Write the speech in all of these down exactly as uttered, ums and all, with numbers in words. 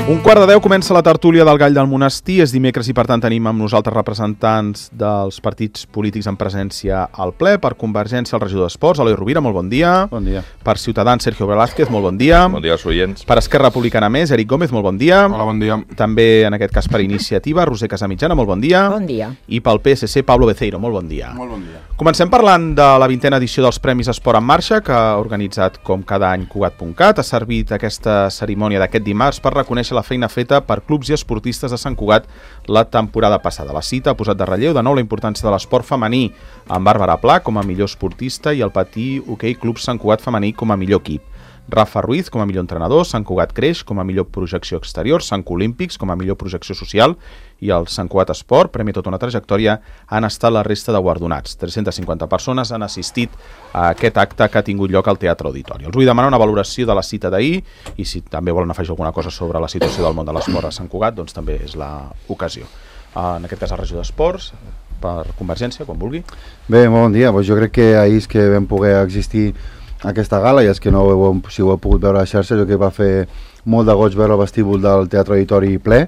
Un quart de deu comença la tertúlia del Gall del Monestir. És dimecres i per tant tenim amb nosaltres representants dels partits polítics en presència al ple. Per Convergència, el regidor d'Esports, Eloi Rovira, molt bon dia. Bon dia. Per Ciutadans, Sergio Velázquez, molt bon dia. Bon dia als oients. Per Esquerra Republicana Més, Eric Gómez, molt bon dia. Hola, bon dia. També, en aquest cas, per Iniciativa, Roser Casamitjana, molt bon dia. Bon dia. I pel P S C, Pablo Beceiro, molt bon dia. Molt bon dia. Comencem parlant de la vintena edició dels Premis Esport en Marxa, que ha organitzat, com cada any, Cugat punt cat. Ha servit aquesta cerimònia d'aquest dimarts per reconèixer la feina feta per clubs i esportistes de Sant Cugat la temporada passada. La cita ha posat de relleu de nou la importància de l'esport femení, amb Bàrbara Pla com a millor esportista i el Patí Hoquei Club Sant Cugat femení com a millor equip. Rafa Ruiz com a millor entrenador, Sant Cugat Creix com a millor projecció exterior, Sant Olímpics com a millor projecció social i el Sant Cugat Esport, premi tota una trajectòria, han estat la resta de guardonats. tres-centes cinquanta persones han assistit a aquest acte que ha tingut lloc al Teatre Auditori. Els vull demanar una valoració de la cita d'ahir i si també volen afegir alguna cosa sobre la situació del món de l'esport a Sant Cugat, doncs també és l'ocasió. En aquest cas el regidor d'Esports, per Convergència, quan vulgui. Bé, molt bon dia. Pues jo crec que ahir és que vam poder existir aquesta gala, i és que no ho heu, si ho heu pogut veure a la xarxa, jo crec que va fer molt de goig veure el vestíbul del Teatre Auditori ple.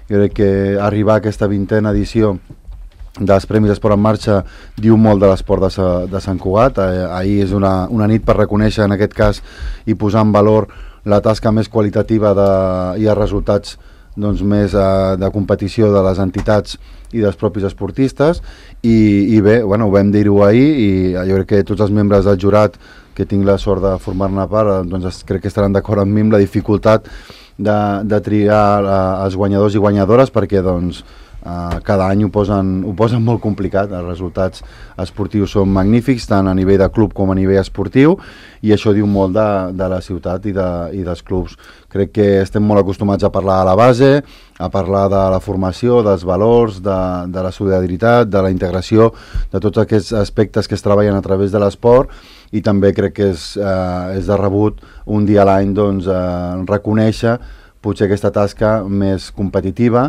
Jo crec que arribar a aquesta vintena edició dels Premis Esport en Marxa diu molt de l'esport de, Sa, de Sant Cugat. Eh, ahir és una, una nit per reconèixer, en aquest cas, i posar en valor la tasca més qualitativa de, i els resultats doncs, més eh, de competició de les entitats i dels propis esportistes, i, i bé, bueno, ho vam dir-ho ahir, i jo crec que tots els membres del jurat que tinc la sort de formar-ne part, doncs crec que estaran d'acord amb mi amb la dificultat de, de triar uh, els guanyadors i guanyadores, perquè doncs uh, cada any ho posen, ho posen molt complicat. Els resultats esportius són magnífics, tant a nivell de club com a nivell esportiu, i això diu molt de, de la ciutat i, de, i dels clubs. Crec que estem molt acostumats a parlar de la base, a parlar de la formació, dels valors, de, de la solidaritat, de la integració, de tots aquests aspectes que es treballen a través de l'esport, i també crec que és, eh, és de rebut un dia a l'any doncs, eh, reconèixer potser aquesta tasca més competitiva,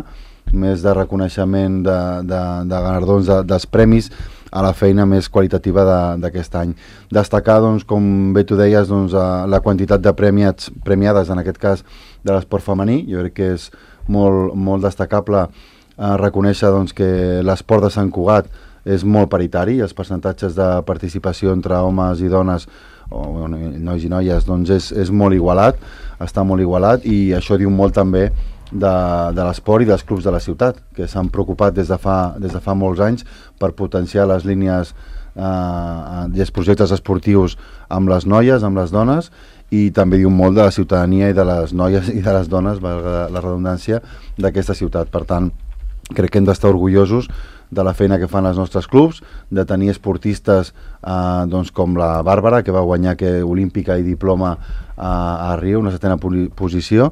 més de reconeixement de, de, de guardons de, dels premis a la feina més qualitativa d'aquest any. Destacar, doncs, com bé tu deies, doncs, la quantitat de premiats, premiades, en aquest cas, de l'esport femení. Jo crec que és molt, molt destacable eh, reconèixer doncs, que l'esport de Sant Cugat és molt paritari, els percentatges de participació entre homes i dones, o nois i noies, doncs és, és molt igualat, està molt igualat, i això diu molt també de, de l'esport i dels clubs de la ciutat, que s'han preocupat des de fa, des de fa molts anys per potenciar les línies eh, i els projectes esportius amb les noies, amb les dones, i també diu molt de la ciutadania i de les noies i de les dones, valga la redundància, d'aquesta ciutat. Per tant, crec que hem d'estar orgullosos de la feina que fan els nostres clubs, de tenir esportistes eh, doncs com la Bàrbara, que va guanyar que olímpica i diploma eh, a Rio, una setena posició,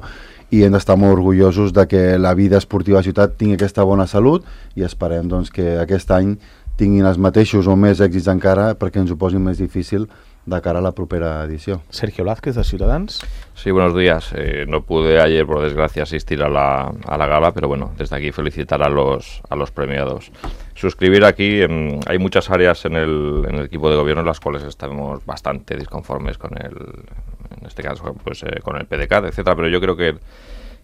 i hem d'estar molt orgullosos de que la vida esportiva a la ciutat tingui aquesta bona salut, i esperem doncs, que aquest any tinguin els mateixos o més èxits encara, perquè ens ho posin més difícil de cara a la propera edició. Sergio Velázquez, de Ciutadans. Sí, buenos días. Eh, no pude ayer, por desgracia, asistir a la, a la gala, pero bueno, desde aquí felicitar a los, a los premiados. Suscribir aquí, eh, hay muchas áreas en el, en el equipo de gobierno en las cuales estamos bastante disconformes con el, en este caso, pues eh, con el P D C A T, etcétera, pero yo creo que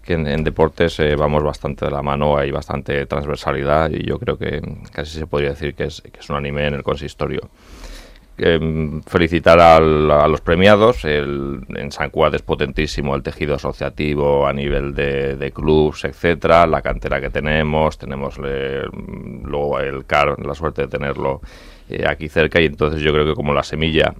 que en, en deportes eh, vamos bastante de la mano, hay bastante transversalidad, y yo creo que casi se podría decir que es, que es unánime en el consistorio. Eh, felicitar al, a los premiados. El, en San Cugat es potentísimo el tejido asociativo a nivel de, de clubs, etcétera, la cantera que tenemos, tenemos le, luego el C A R, la suerte de tenerlo eh, aquí cerca, y entonces yo creo que como la semilla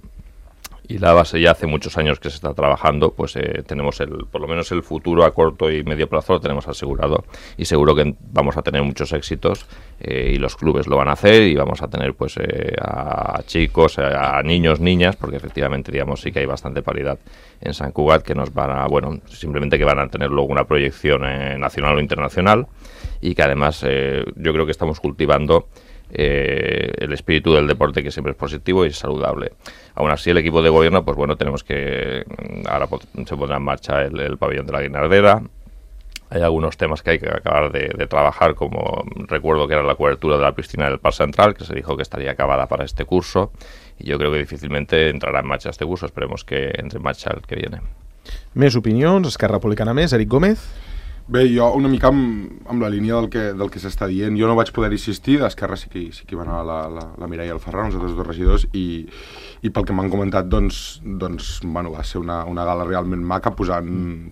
y la base ya hace muchos años que se está trabajando, pues eh, tenemos el, por lo menos el futuro a corto y medio plazo lo tenemos asegurado, y seguro que vamos a tener muchos éxitos, eh, y los clubes lo van a hacer, y vamos a tener pues eh, a chicos, a niños, niñas, porque efectivamente digamos sí que hay bastante paridad en San Cugat, que nos van a, bueno, simplemente que van a tener luego una proyección eh, nacional o internacional, y que además eh, yo creo que estamos cultivando Eh, el espíritu del deporte, que siempre es positivo y es saludable. Aún así, el equipo de gobierno, pues bueno, tenemos que, ahora se pondrá en marcha el, el pabellón de la Guinardera. Hay algunos temas que hay que acabar de, de trabajar, como recuerdo que era la cobertura de la piscina del Parc Central, que se dijo que estaría acabada para este curso, y yo creo que difícilmente entrará en marcha este curso. Esperemos que entre en marcha el que viene. Més opinions, Esquerra Republicana Més, Eric Gómez. Bé, jo una mica amb, amb la línia del que, del que s'està dient. Jo no vaig poder assistir, d'Esquerra sí que, sí que van anar la, la, la Mireia i el Ferran, els altres dos regidors, i, i pel que m'han comentat, doncs, doncs bueno, va ser una, una gala realment maca, posant,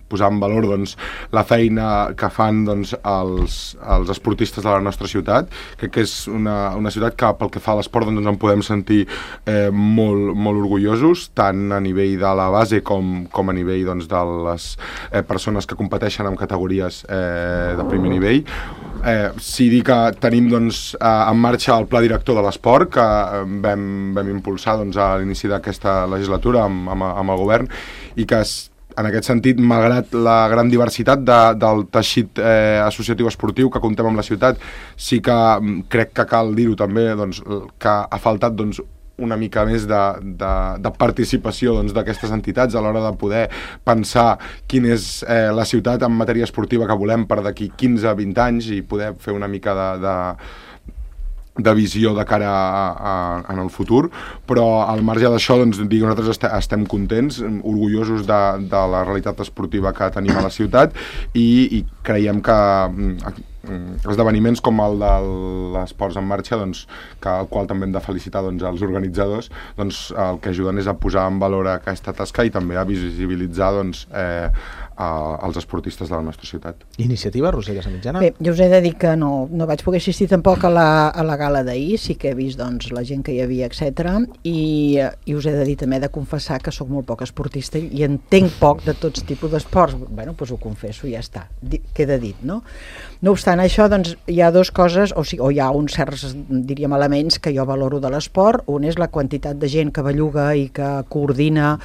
posant en valor doncs, la feina que fan doncs, els, els esportistes de la nostra ciutat. Crec que és una, una ciutat que pel que fa a l'esport doncs, ens en podem sentir eh, molt, molt orgullosos, tant a nivell de la base com, com a nivell doncs, de les eh, persones que competeixen en categories Eh, de primer nivell. Eh, sí dir que tenim doncs, eh, en marxa el pla director de l'esport que eh, vam, vam impulsar doncs, a l'inici d'aquesta legislatura amb, amb, amb el govern, i que es, en aquest sentit, malgrat la gran diversitat de, del teixit eh, associatiu esportiu que contem amb la ciutat, sí que crec que cal dir-ho també, doncs, que ha faltat doncs, una mica més de, de, de participació doncs, d'aquestes entitats a l'hora de poder pensar quina és eh, la ciutat en matèria esportiva que volem per d'aquí quinze a vint anys i poder fer una mica de, de, de visió de cara a, a, en el futur, però al marge d'això doncs, dic, nosaltres est estem contents, orgullosos de, de la realitat esportiva que tenim a la ciutat, i, i creiem que esdeveniments com el de l'Esports en Marxa, doncs, que, el qual també hem de felicitar doncs, els organitzadors, doncs, el que ajuden és a posar en valor aquesta tasca i també a visibilitzar doncs, eh, a, als esportistes de la nostra ciutat. Iniciativa, Roser Casamitjana? Bé, jo us he de dir que no, no vaig poder assistir tampoc a la, a la gala d'ahir, sí que he vist doncs, la gent que hi havia, etcètera. I, i us he de dir també de confessar que sóc molt poc esportista i entenc poc de tots tipus d'esports. Bueno, doncs ho confesso, ja està, queda dit, no? No obstant això, doncs, hi ha dues coses, o, sigui, o hi ha uns certs, diríem, elements que jo valoro de l'esport. Un és la quantitat de gent que belluga i que coordina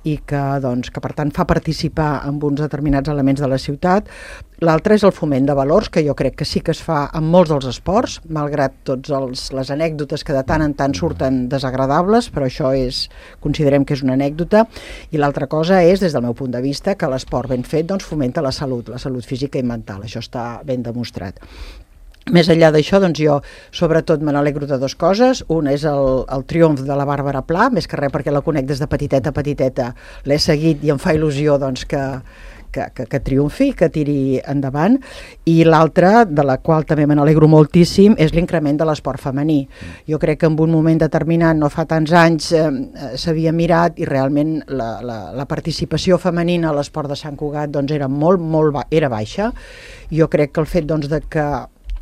i que, doncs, que per tant fa participar en uns determinats elements de la ciutat. L'altre és el foment de valors, que jo crec que sí que es fa en molts dels esports, malgrat tots els, les anècdotes que de tant en tant surten desagradables, però això és, considerem que és una anècdota. I l'altra cosa és, des del meu punt de vista, que l'esport ben fet doncs, fomenta la salut, la salut física i mental. Això està ben demostrat. Més enllà d'això, doncs jo sobretot me n'alegro de dues coses. Una és el, el triomf de la Bàrbara Pla, més que res perquè la conec des de petiteta a petiteta, l'he seguit i em fa il·lusió doncs, que, que, que, que triomfi, que tiri endavant. I l'altra, de la qual també me n'alegro moltíssim, és l'increment de l'esport femení. Jo crec que en un moment determinat, no fa tants anys, eh, s'havia mirat i realment la, la, la participació femenina a l'esport de Sant Cugat doncs, era molt, molt ba era baixa. Jo crec que el fet doncs, de que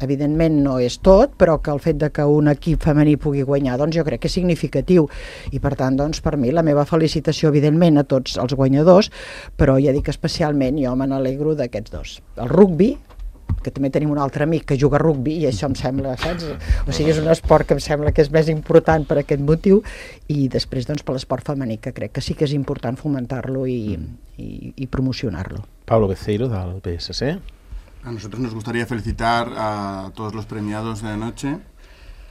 evidentment no és tot, però que el fet de que un equip femení pugui guanyar, doncs jo crec que és significatiu, i per tant, doncs, per mi, la meva felicitació, evidentment, a tots els guanyadors, però ja dic especialment, jo me n'alegro d'aquests dos. El rugbi, que també tenim un altre amic que juga a rugbi, i això em sembla, saps? O sigui, és un esport que em sembla que és més important per aquest motiu, i després, doncs, per l'esport femení, que crec que sí que és important fomentar-lo i, i, i promocionar-lo. Pablo Beceiro, del P S C. A nosotros nos gustaría felicitar a todos los premiados de la noche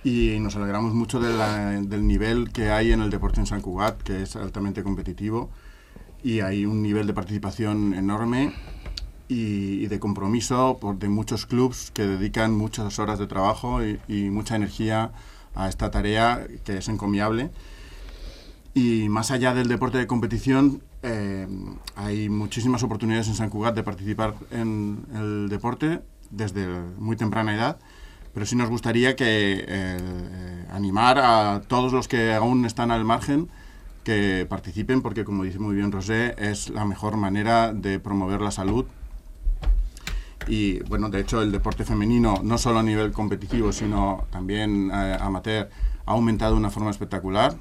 y nos alegramos mucho de la, del nivel que hay en el deporte en Sant Cugat, que es altamente competitivo y hay un nivel de participación enorme y, y de compromiso por, de muchos clubs que dedican muchas horas de trabajo y, y mucha energía a esta tarea que es encomiable. Y más allá del deporte de competición, eh, hay muchísimas oportunidades en Sant Cugat de participar en el deporte desde muy temprana edad, pero sí nos gustaría que eh, animar a todos los que aún están al margen que participen, porque como dice muy bien Rosé, es la mejor manera de promover la salud. Y bueno, de hecho el deporte femenino, no solo a nivel competitivo, sino también eh, amateur, ha aumentado de una forma espectacular.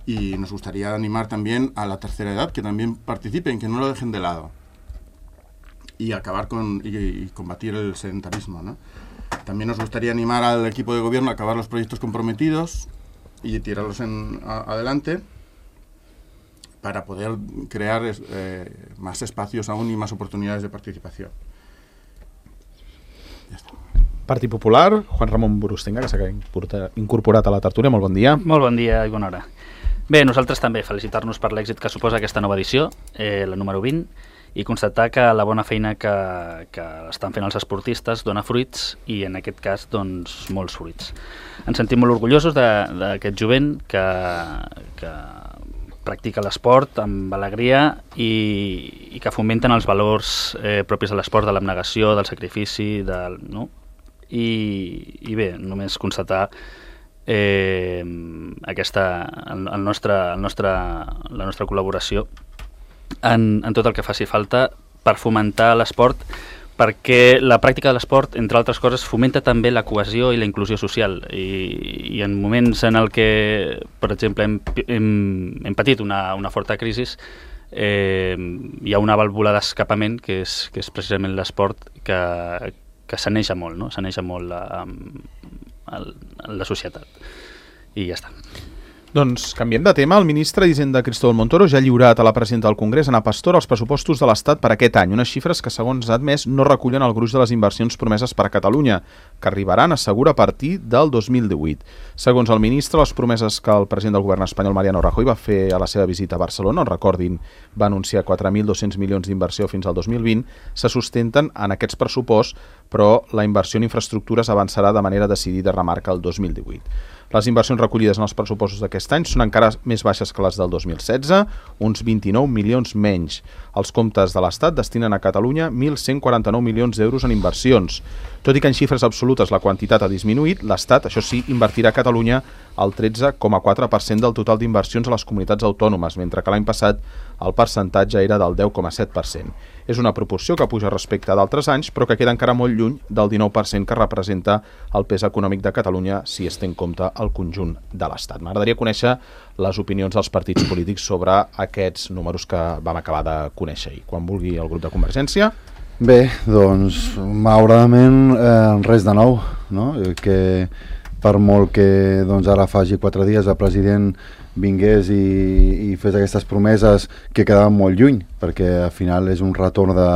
Y nos gustaría animar también a la tercera edad que también participen, que no lo dejen de lado. Y acabar con y, y combatir el sedentarismo, ¿no? También nos gustaría animar al equipo de gobierno a acabar los proyectos comprometidos y tirarlos en, a, adelante para poder crear eh, más espacios aún y más oportunidades de participación. Ja està. Partit Popular, Juan Ramon Burustenga, que s'ha incorporat a la tertúlia. Molt bon dia. Molt bon dia i bona hora. Bé, nosaltres també felicitar-nos per l'èxit que suposa aquesta nova edició, eh, la número vint, i constatar que la bona feina que, que estan fent els esportistes dona fruits, i en aquest cas, doncs, molts fruits. Ens sentim molt orgullosos d'aquest jovent que, que practica l'esport amb alegria i, i que fomenten els valors eh, propis de l'esport, de l'abnegació, del sacrifici, del, no? I, i bé, només constatar eh, aquesta, el, el nostre, el nostre, la nostra col·laboració en, en tot el que faci falta per fomentar l'esport, perquè la pràctica de l'esport, entre altres coses, fomenta també la cohesió i la inclusió social. I, i en moments en el que, per exemple, hem, hem, hem patit una, una forta crisi, eh, hi ha una vàlvula d'escapament, que és, que és precisament l'esport, que, que saneja molt, no? Saneja molt la, la societat. I ja està. Doncs canviem de tema. El ministre d'Hisenda, Cristóbal Montoro, ja ha lliurat a la presidenta del Congrés, Ana Pastor, els pressupostos de l'Estat per aquest any. Unes xifres que, segons ha admès, no recullen el gruix de les inversions promeses per a Catalunya, que arribaran, assegura, a partir del dos mil divuit. Segons el ministre, les promeses que el president del govern espanyol, Mariano Rajoy, va fer a la seva visita a Barcelona, on, recordin, va anunciar quatre mil dos-cents milions d'inversió fins al dos mil vint, se sustenten en aquests pressuposts, però la inversió en infraestructures avançarà de manera decidida, remarca, el dos mil divuit. Les inversions recollides en els pressupostos d'aquest any són encara més baixes que les del dos mil setze, uns vint-i-nou milions menys. Els comptes de l'Estat destinen a Catalunya mil cent quaranta-nou milions d'euros en inversions. Tot i que en xifres absolutes la quantitat ha disminuït, l'Estat, això sí, invertirà a Catalunya el tretze coma quatre per cent del total d'inversions a les comunitats autònomes, mentre que l'any passat el percentatge era del deu coma set per cent. És una proporció que puja respecte a d'altres anys, però que queda encara molt lluny del dinou per cent que representa el pes econòmic de Catalunya si es té en compte el conjunt de l'Estat. M'agradaria conèixer les opinions dels partits polítics sobre aquests números que vam acabar de conèixer ahir. Quan vulgui el grup de Convergència. Bé, doncs, malauradament, eh, res de nou, no? Que per molt que doncs, ara faci quatre dies el president vingués i, i fes aquestes promeses que quedaven molt lluny, perquè al final és un retorn de,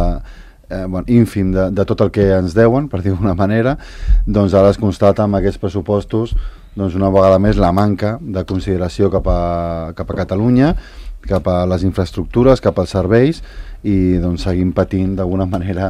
eh, bueno, ínfim de, de tot el que ens deuen, per dir d'una manera, doncs ara es constata amb aquests pressupostos doncs una vegada més la manca de consideració cap a, cap a Catalunya, cap a les infraestructures, cap als serveis, i doncs seguim patint d'alguna manera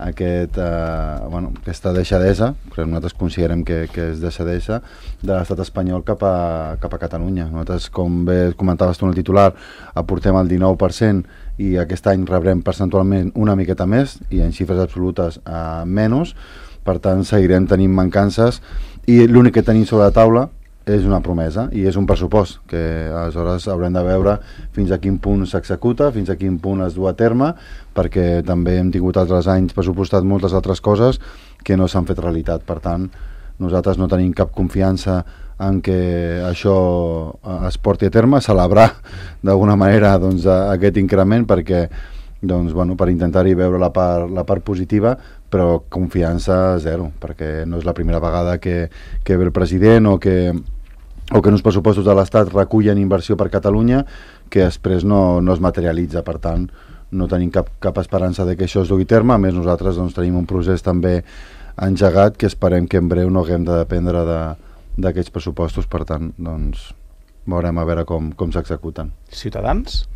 aquest, eh, bueno, aquesta deixadesa, que nosaltres considerem que, que és deixadesa de l'estat espanyol cap a, cap a Catalunya. Nosaltres, com bé comentaves tu en el titular, aportem el dinou per cent i aquest any rebrem percentualment una miqueta més i en xifres absolutes eh, menys, per tant seguirem tenint mancances i l'únic que tenim sobre la taula és una promesa i és un pressupost que aleshores haurem de veure fins a quin punt s'executa, fins a quin punt es du a terme, perquè també hem tingut altres anys pressupostat moltes altres coses que no s'han fet realitat. Per tant, nosaltres no tenim cap confiança en que això es porti a terme, celebrar d'alguna manera doncs, aquest increment perquè doncs, bueno, per intentar-hi veure la part, la part positiva, però confiança zero, perquè no és la primera vegada que, que ve el president o que, o que en uns pressupostos de l'Estat recullen inversió per Catalunya que després no, no es materialitza. Per tant, no tenim cap, cap esperança de que això es dugui a terme. A més, nosaltres doncs, tenim un procés també engegat que esperem que en breu no haguem de dependre d'aquests de, pressupostos. Per tant, doncs, veurem a veure com, com s'executen. Ciutadans?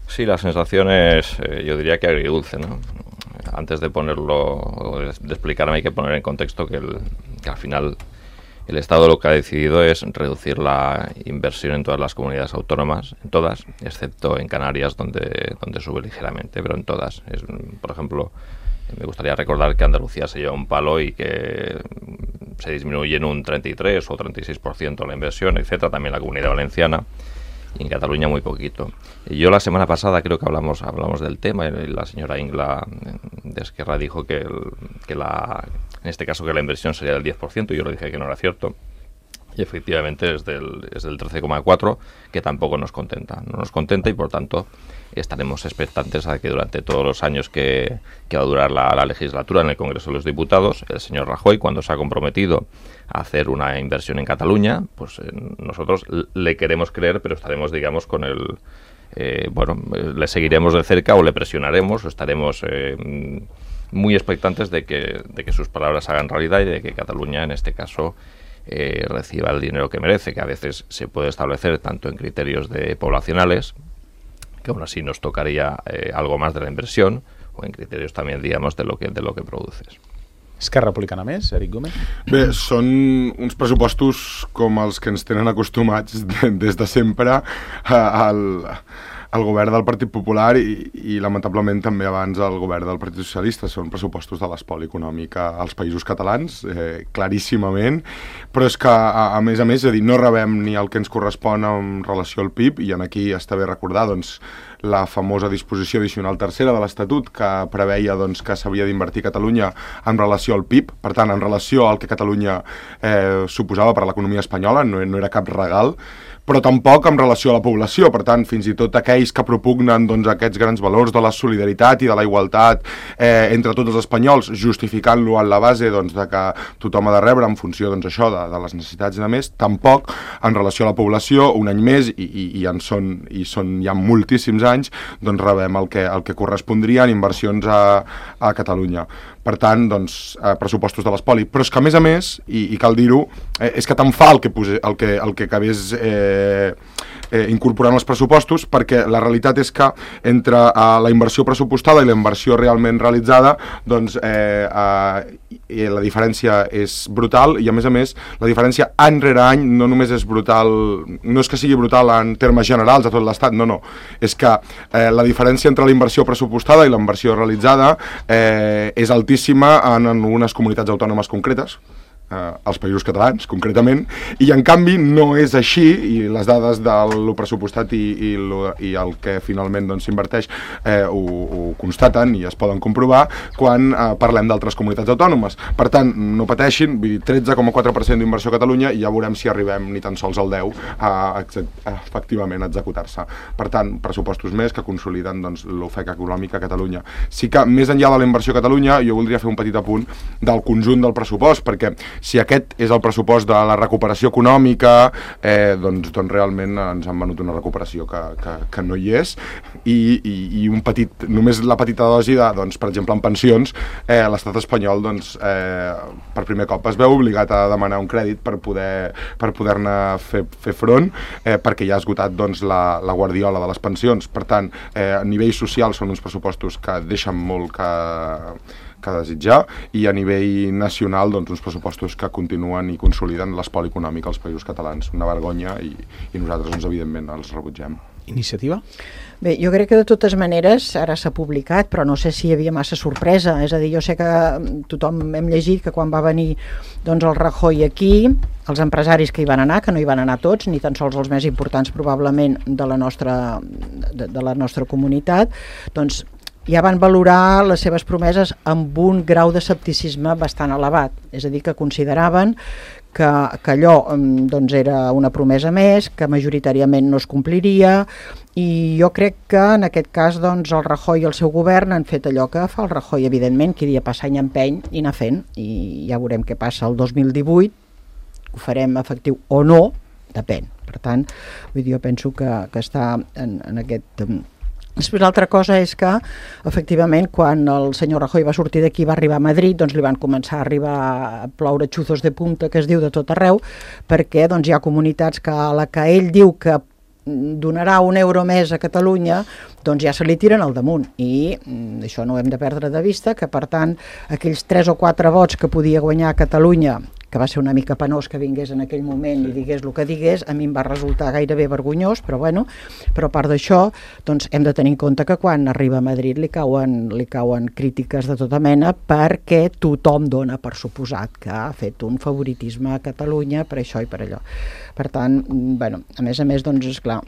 Sí, la sensación es, eh, yo diría que agridulce, ¿no? Antes de ponerlo, de explicarme, hay que poner en contexto que, el, que al final el Estado lo que ha decidido es reducir la inversión en todas las comunidades autónomas, en todas, excepto en Canarias, donde, donde sube ligeramente, pero en todas. Es, por ejemplo, me gustaría recordar que Andalucía se lleva un palo y que se disminuye en un treinta y tres o treinta y seis por ciento la inversión, etcétera, también la Comunidad Valenciana. Y en Cataluña muy poquito. Y yo la semana pasada creo que hablamos hablamos del tema y la señora Ingla de Esquerra dijo que, el, que la en este caso que la inversión sería del diez por ciento y yo le dije que no era cierto. Y efectivamente es del, es del trece coma cuatro, que tampoco nos contenta. No nos contenta y por tanto estaremos expectantes a que durante todos los años que, que va a durar la, la legislatura en el Congreso de los Diputados, el señor Rajoy, cuando se ha comprometido a hacer una inversión en Cataluña, pues eh, nosotros le queremos creer, pero estaremos, digamos, con el... Eh, bueno, le seguiremos de cerca o le presionaremos o estaremos eh, muy expectantes de que, de que sus palabras hagan realidad y de que Cataluña, en este caso, eh, reciba el dinero que merece, que a veces se puede establecer tanto en criterios de poblacionales, que aún así nos tocaría eh, algo más de la inversión, o en criterios también, digamos, de lo que de lo que produces. Esquerra Republicana més, Eric Gómez? Bé, són uns pressupostos com els que ens tenen acostumats de, des de sempre al, al govern del Partit Popular i, i lamentablement també abans al govern del Partit Socialista. Són pressupostos de l'espoli econòmic als països catalans, eh, claríssimament, però és que a, a més a més, és a dir, no rebem ni el que ens correspon en relació al P I B, i en aquí està bé recordar, doncs, la famosa disposició addicional tercera de l'Estatut que preveia doncs, que s'havia d'invertir Catalunya en relació al P I B, per tant, en relació al que Catalunya eh, suposava per a l'economia espanyola, no, no era cap regal, però tampoc en relació a la població. Per tant, fins i tot aquells que propugnen doncs, aquests grans valors de la solidaritat i de la igualtat eh, entre tots els espanyols, justificant-lo en la base doncs, de que tothom ha de rebre en funció doncs, això de, de les necessitats de més, tampoc en relació a la població, un any més, i, i, i en són, i són ja moltíssims anys, doncs rebem el que, el que correspondria en inversions a, a Catalunya. Per tant, doncs, eh, pressupostos de l'espoli. Però és que, a més a més, i, i cal dir-ho, eh, és que tant fa el que, pose, el que, el que acabés eh, eh, incorporant els pressupostos, perquè la realitat és que entre eh, la inversió pressupostada i la inversió realment realitzada, doncs eh, eh, la diferència és brutal, i a més a més, la diferència any rere any no només és brutal, no és que sigui brutal en termes generals a tot l'Estat, no, no, és que eh, la diferència entre la inversió pressupostada i la inversió realitzada eh, és altíssima en algunes comunitats autònomes concretes, eh, als països catalans, concretament, i en canvi no és així, i les dades de lo pressupostat i, i, lo, i el que finalment doncs, s'inverteix eh, ho, ho constaten i es poden comprovar quan eh, parlem d'altres comunitats autònomes. Per tant, no pateixin, tretze coma quatre per cent d'inversió a Catalunya i ja veurem si arribem ni tan sols al deu a, a, a efectivament a executar-se. Per tant, pressupostos més que consoliden doncs, l'ofec econòmic a Catalunya. Sí que més enllà de la inversió a Catalunya, jo voldria fer un petit apunt del conjunt del pressupost, perquè si aquest és el pressupost de la recuperació econòmica, eh, doncs, doncs realment ens han venut una recuperació que, que, que no hi és, i, i, i un petit, només la petita dosi de, doncs, per exemple, en pensions, eh, l'estat espanyol doncs, eh, per primer cop es veu obligat a demanar un crèdit per poder per poder-ne fer, fer front, eh, perquè ja ha esgotat doncs, la, la guardiola de les pensions. Per tant, eh, a nivell social són uns pressupostos que deixen molt que que desitjar, i a nivell nacional doncs, uns pressupostos que continuen i consoliden l'espoli econòmic als països catalans. Una vergonya, i, i nosaltres doncs, evidentment els rebutgem. Iniciativa? Bé, jo crec que de totes maneres ara s'ha publicat, però no sé si hi havia massa sorpresa. És a dir, jo sé que tothom hem llegit que quan va venir doncs, el Rajoy aquí, els empresaris que hi van anar, que no hi van anar tots, ni tan sols els més importants probablement de la nostra, de, de la nostra comunitat, doncs ja van valorar les seves promeses amb un grau d'escepticisme bastant elevat. És a dir, que consideraven que, que allò doncs, era una promesa més, que majoritàriament no es compliria, i jo crec que en aquest cas doncs, el Rajoy i el seu govern han fet allò que fa el Rajoy, evidentment, que dia passa any empeny i anar fent, i ja veurem què passa el dos mil divuit, ho farem efectiu o no, depèn. Per tant, vull dir, jo penso que, que està en, en aquest... Després l'altra cosa és que, efectivament, quan el senyor Rajoy va sortir d'aquí i va arribar a Madrid, doncs li van començar a arribar a ploure xuzos de punta, que es diu, de tot arreu, perquè doncs, hi ha comunitats que a la que ell diu que donarà un euro més a Catalunya, doncs ja se li tiren al damunt, i això no ho hem de perdre de vista, que per tant aquells tres o quatre vots que podia guanyar a Catalunya, que va ser una mica penós que vingués en aquell moment i digués el que digués, a mi em va resultar gairebé vergonyós, però bueno, però a part d'això, doncs hem de tenir en compte que quan arriba a Madrid li cauen, li cauen crítiques de tota mena, perquè tothom dona per suposat que ha fet un favoritisme a Catalunya per això i per allò. Per tant, bueno, a més a més, doncs, esclar,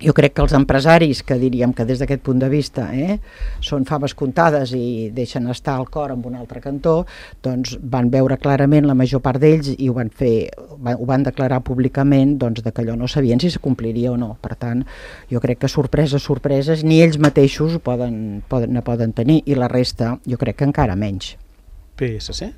jo crec que els empresaris, que diríem que des d'aquest punt de vista eh, són faves comptades i deixen estar el cor en un altre cantó, doncs van veure clarament la major part d'ells i ho van fer, ho van declarar públicament doncs, de que allò no sabien si se compliria o no. Per tant, jo crec que sorpreses, sorpreses, ni ells mateixos poden, poden, ne poden tenir, i la resta jo crec que encara menys. P S C?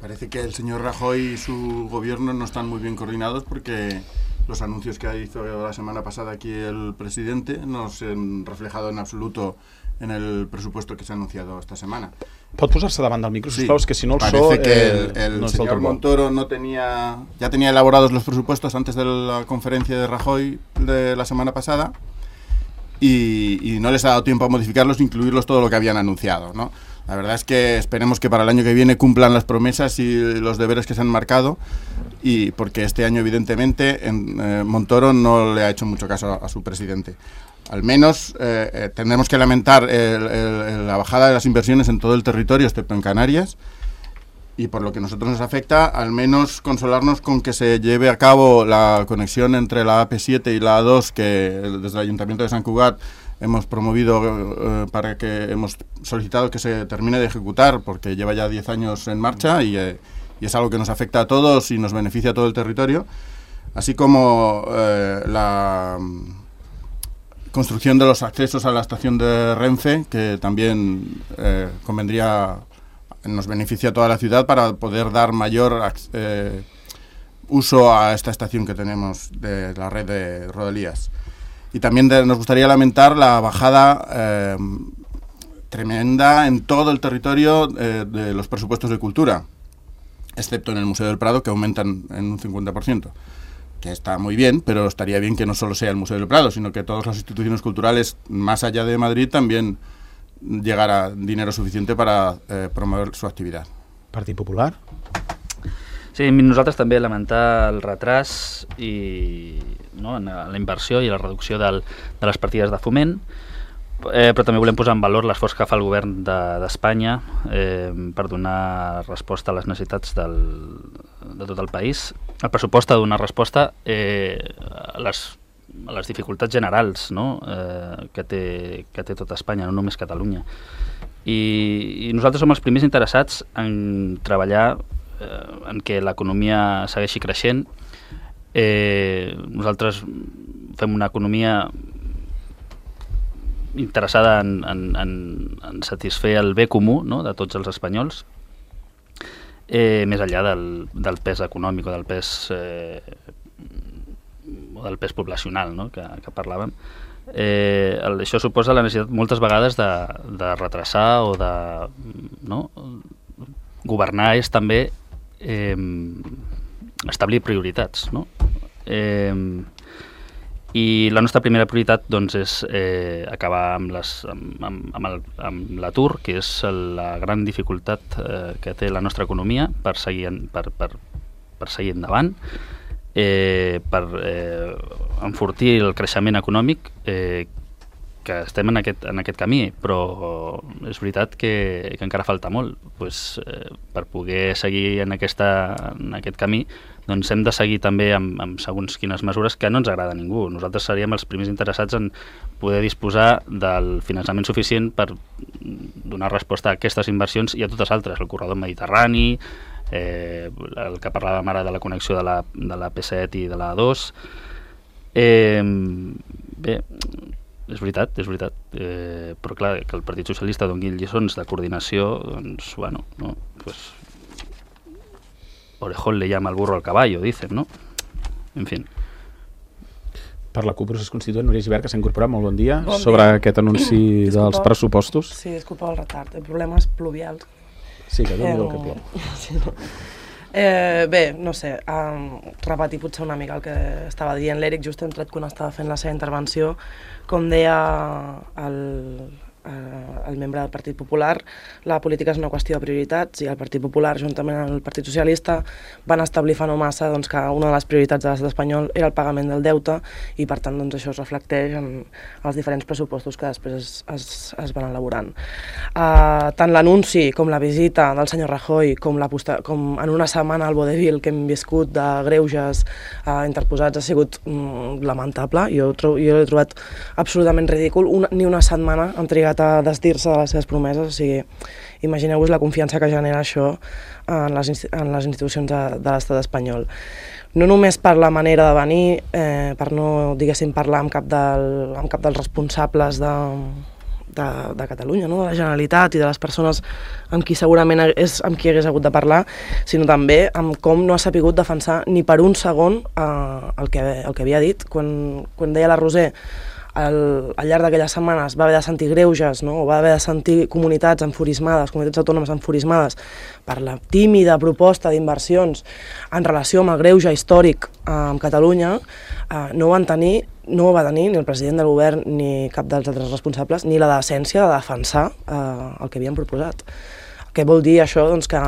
Parece que el señor Rajoy y su gobierno no están muy bien coordinados, porque los anuncios que hizo la semana pasada aquí el presidente no se han reflejado en absoluto en el presupuesto que se ha anunciado esta semana. Pot posar-se davant del micro, sisplau, sí, és que si no el parece so... que el, eh, el no señor Montoro no tenía, ya tenía elaborados los presupuestos antes de la conferencia de Rajoy de la semana pasada, y, y no les ha dado tiempo a modificarlos, incluirlos todo lo que habían anunciado, ¿no? La verdad es que esperemos que para el año que viene cumplan las promesas y los deberes que se han marcado, y porque este año evidentemente en, eh, Montoro no le ha hecho mucho caso a, a su presidente. Al menos eh, eh, tendremos que lamentar el, el, la bajada de las inversiones en todo el territorio, excepto en Canarias, y por lo que a nosotros nos afecta, al menos consolarnos con que se lleve a cabo la conexión entre la A P siete y la A dos, que desde el Ayuntamiento de Sant Cugat hemos promovido, eh, para que hemos solicitado que se termine de ejecutar, porque lleva ya diez años en marcha y, eh, y es algo que nos afecta a todos y nos beneficia a todo el territorio, así como eh, la construcción de los accesos a la estación de Renfe, que también eh, convendría, nos beneficia a toda la ciudad para poder dar mayor eh, uso a esta estación que tenemos de la red de Rodalies. Y también de, nos gustaría lamentar la bajada eh, tremenda en todo el territorio eh, de los presupuestos de cultura, excepto en el Museo del Prado, que aumentan en un cincuenta por ciento, que está muy bien, pero estaría bien que no solo sea el Museo del Prado, sino que todas las instituciones culturales, más allá de Madrid, también llegara dinero suficiente para eh, promover su activitat. Partit Popular? Sí, nosaltres també lamentar el retras i no, en la inversió i la reducció del, de les partides de foment, eh, però també volem posar en valor l'esforç que fa el govern d'Espanya de, eh, per donar resposta a les necessitats del, de tot el país. El pressupost ha de donar resposta eh, a, les, a les dificultats generals, no? eh, que, té, que té tota Espanya, no només Catalunya. I, i nosaltres som els primers interessats en treballar en què l'economia segueixi creixent. Eh, nosaltres fem una economia interessada en, en, en, en satisfer el bé comú, no?, de tots els espanyols, eh, més enllà del, del pes econòmic o del pes, eh, o del pes poblacional, no?, que, que parlàvem. Eh, el, això suposa la necessitat moltes vegades de, de retrasar o de... No? Governar és també Eh, establir prioritats, no? Eh, i la nostra primera prioritat doncs, és eh, acabar amb les, amb, amb, amb l'atur, que és la gran dificultat eh, que té la nostra economia per seguir, en, per, per, per seguir endavant, eh, per eh, enfortir el creixement econòmic, eh, que estem en aquest, en aquest camí, però és veritat que, que encara falta molt. Pues, eh, per poder seguir en, aquesta, en aquest camí, doncs hem de seguir també amb, amb segons quines mesures que no ens agrada a ningú. Nosaltres seríem els primers interessats en poder disposar del finançament suficient per donar resposta a aquestes inversions i a totes altres, el corredor mediterrani, eh, el que parlàvem ara de la connexió de la, de la P set i de la A dos. Eh, bé, és veritat, és veritat, eh, però clar, que el Partit Socialista doni lliçons de coordinació, doncs, bueno, no, pues, orejón le llama al burro al caballo, dicen, no? En fin. Per la CUP Procés Constituent, Núria Gibert, que s'ha incorporat, molt bon dia, bon dia. Sobre aquest anunci dels pressupostos. Sí, és culpa del retard, el problema és pluvials. Sí, que déu-n'hi-do eh, que plou. Sí, no. Eh, bé, no sé, um, repetir potser una mica el que estava dient l'Eric just hem tret quan estava fent la seva intervenció. Com deia el, eh, el membre del Partit Popular, la política és una qüestió de prioritats i el Partit Popular, juntament amb el Partit Socialista, van establir fa no massa doncs, que una de les prioritats de l'estat espanyol era el pagament del deute i per tant doncs, això es reflecteix en els diferents pressupostos que després es, es, es van elaborant. Uh, tant l'anunci com la visita del senyor Rajoy com, la posta, com en una setmana al vodevil que hem viscut de greuges uh, interposats ha sigut mm, lamentable. Jo, jo l'he trobat absolutament ridícul. Una, ni una setmana han trigat a desdir-se de les seves promeses, o sigui, imagineu-vos la confiança que genera això en les, en les institucions de, de l'estat espanyol. No només per la manera de venir, eh, per no, diguéssim, parlar amb cap, del, amb cap dels responsables de, de, de Catalunya, no? De la Generalitat i de les persones amb qui segurament és amb qui hagués hagut de parlar, sinó també amb com no ha sapigut defensar ni per un segon eh, el, que, el que havia dit. Quan, quan deia la Roser al, al llarg d'aquelles setmanes va haver de sentir greuges, no? O va haver de sentir comunitats enfurismades, comunitats autònomes enfurismades per la tímida proposta d'inversions en relació amb el greuge històric eh, amb Catalunya, eh, no ho van tenir, no ho va tenir ni el president del govern ni cap dels altres responsables, ni la decència de defensar eh, el que havien proposat. Què vol dir això? Doncs que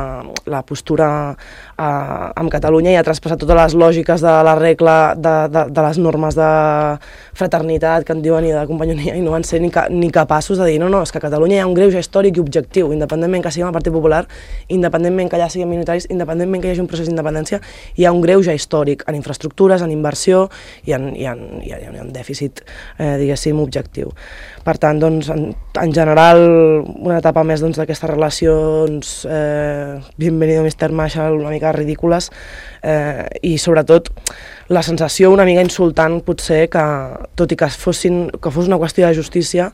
la postura eh, amb Catalunya ja ha traspassat totes les lògiques de la regla, de, de, de les normes de fraternitat que en diuen i de companyonia, i no van ser ni, ca, ni capaços de dir no, no, és que a Catalunya hi ha un greuge històric i objectiu, independentment que siguem el Partit Popular, independentment que allà siguem minoritaris, independentment que hi hagi un procés d'independència, hi ha un greuge històric en infraestructures, en inversió i en, i en, i en, i en dèficit, eh, diguéssim, objectiu. Per tant, doncs, en, en general, una etapa més doncs, d'aquestes relacions, eh, bienvenido mister Marshall, una mica ridícules, eh, i sobretot la sensació una mica insultant potser que, tot i que, fossin, que fos una qüestió de justícia,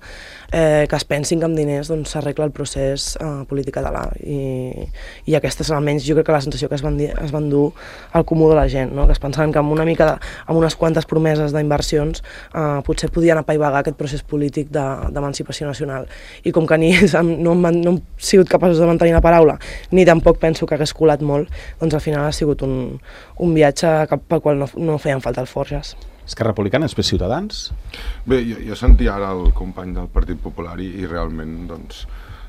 eh, que es pensin que amb diners doncs, s'arregla el procés eh, polític català. I, i aquesta és almenys jo crec que la sensació que es van, dir, es van dur al comú de la gent, no? Que es pensaven que amb una mica de, amb unes quantes promeses d'inversions eh, potser podien apaivagar aquest procés polític d'emancipació de, nacional. I com que ni ells no, no han sigut capaços de mantenir la paraula, ni tampoc penso que hagués colat molt, doncs al final ha sigut un, un viatge pel qual no, no feien falta els forges. Esquerra Republicana, és Ciutadans? Bé, jo, jo sentia ara el company del Partit Popular i, i realment doncs,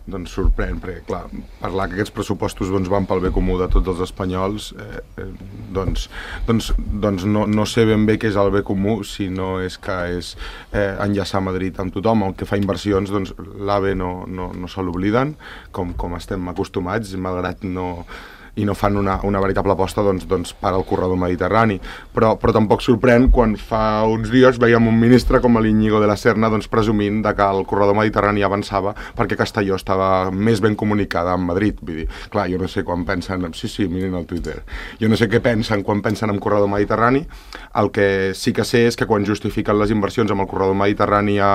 doncs sorprèn, perquè clar, parlar que aquests pressupostos doncs, van pel bé comú de tots els espanyols, eh, eh, doncs, doncs, doncs no, no sé ben bé què és el bé comú, si no és que és eh, enllaçar Madrid amb tothom. El que fa inversions, doncs l'AVE no, no, no se l'obliden, com, com estem acostumats, malgrat no... i no fan una, una veritable aposta doncs, doncs, per al corredor mediterrani. Però, però tampoc sorprèn quan fa uns dies veiem un ministre com l'Iñigo de la Serna doncs, presumint de que el corredor mediterrani avançava perquè Castelló estava més ben comunicada amb Madrid. Vull dir, clar, jo no sé quan pensen... Sí, sí, mirin el Twitter. Jo no sé què pensen quan pensen en corredor mediterrani. El que sí que sé és que quan justifiquen les inversions amb el corredor mediterrani a...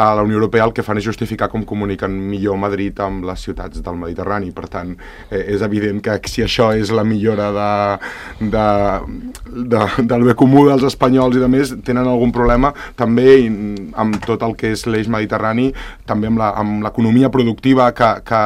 a la Unió Europea el que fan és justificar com comuniquen millor Madrid amb les ciutats del Mediterrani. Per tant, eh, és evident que si això és la millora de, de, de, del bé comú dels espanyols i de més, tenen algun problema també amb tot el que és l'eix mediterrani, també amb l'economia productiva que, que,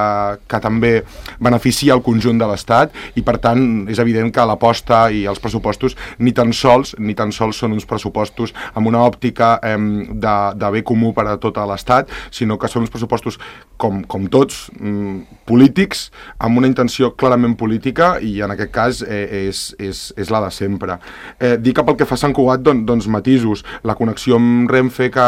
que també beneficia el conjunt de l'Estat, i per tant és evident que l'aposta i els pressupostos ni tan sols ni tan sols són uns pressupostos amb una òptica eh, de, de bé comú per a tot l'Estat, sinó que són uns pressupostos com, com tots, mm, polítics, amb una intenció clarament política, i en aquest cas eh, és, és, és la de sempre. Eh, dir que pel que fa a Sant Cugat, don, doncs matisos, la connexió amb Renfe que,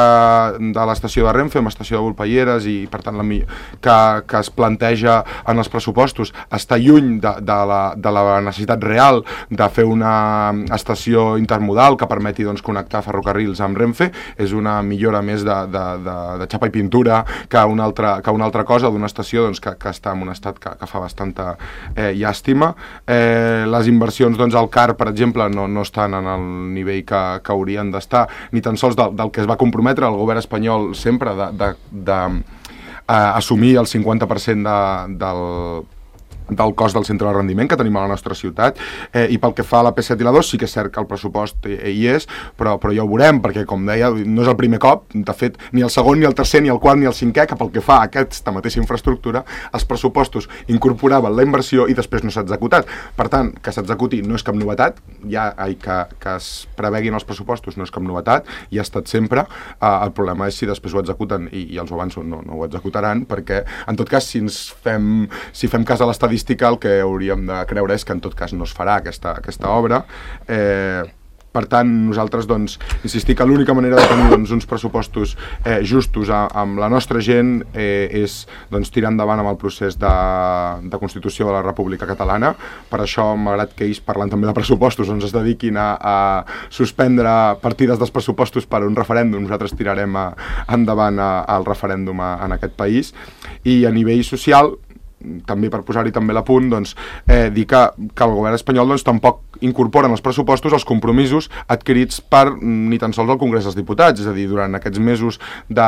de l'estació de Renfe amb l'estació de Volpelleres, i per tant la, que, que es planteja en els pressupostos, està lluny de, de, la, de la necessitat real de fer una estació intermodal que permeti doncs, connectar ferrocarrils amb Renfe. És una millora més de, de De, de xapa i pintura que una altra, que una altra cosa, d'una estació doncs, que, que està en un estat que, que fa bastanta eh, llàstima. Eh, les inversions doncs, al C A R, per exemple, no, no estan en el nivell que, que haurien d'estar, ni tan sols del, del que es va comprometre el govern espanyol sempre de, de, de eh, assumir el cinquanta per cent de, del del cost del centre de rendiment que tenim a la nostra ciutat, eh, i pel que fa a la P set i la dos sí que és cert que el pressupost eh, hi és, però, però ja ho veurem, perquè com deia, no és el primer cop, de fet ni el segon, ni el tercer, ni el quart, ni el cinquè, que pel que fa a aquesta mateixa infraestructura els pressupostos incorporaven la inversió i després no s'ha executat. Per tant, que s'executi no és cap novetat, ja ai, que, que es preveguin els pressupostos no és cap novetat, i ha estat sempre. Eh, el problema és si després ho executen, i, i els ho avanço, no, no ho executaran, perquè en tot cas si ens fem, si fem cas a l'estadística, el que hauríem de creure és que en tot cas no es farà aquesta, aquesta obra. Eh, per tant, nosaltres doncs, insistir que l'única manera de tenir doncs, uns pressupostos eh, justos a, amb la nostra gent eh, és doncs, tirar endavant amb el procés de, de Constitució de la República Catalana. Per això, malgrat que ells parlen també de pressupostos, ens es dediquin a, a suspendre partides dels pressupostos per un referèndum, nosaltres tirarem a, endavant a, al referèndum a, en aquest país. I a nivell social, també per posar-hi també la punt, doncs, eh, dir que, que el govern espanyol doncs, tampoc incorpora en els pressupostos els compromisos adquirits per ni tan sols el Congrés dels Diputats, és a dir, durant aquests mesos de